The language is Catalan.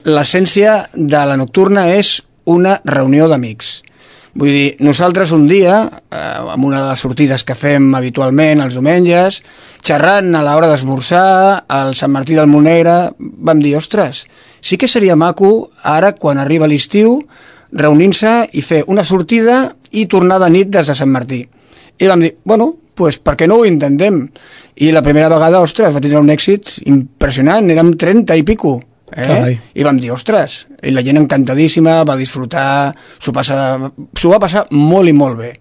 l'essència de la nocturna és una reunió d'amics. Vull dir, nosaltres un dia, amb una de les sortides que fem habitualment els diumenges, xerrant a l'hora d'esmorzar, al Sant Martí del Monegre, vam dir, ostres, sí que seria maco ara, quan arriba l'estiu, reunir-se i fer una sortida i tornar de nit des de Sant Martí. I vam dir, bueno, pues per què no ho intentem? I la primera vegada, ostres, va tenir un èxit impressionant, érem 30 i pico. I vam dir, ostres, i la gent encantadíssima, va disfrutar, s'ho va passar molt i molt bé.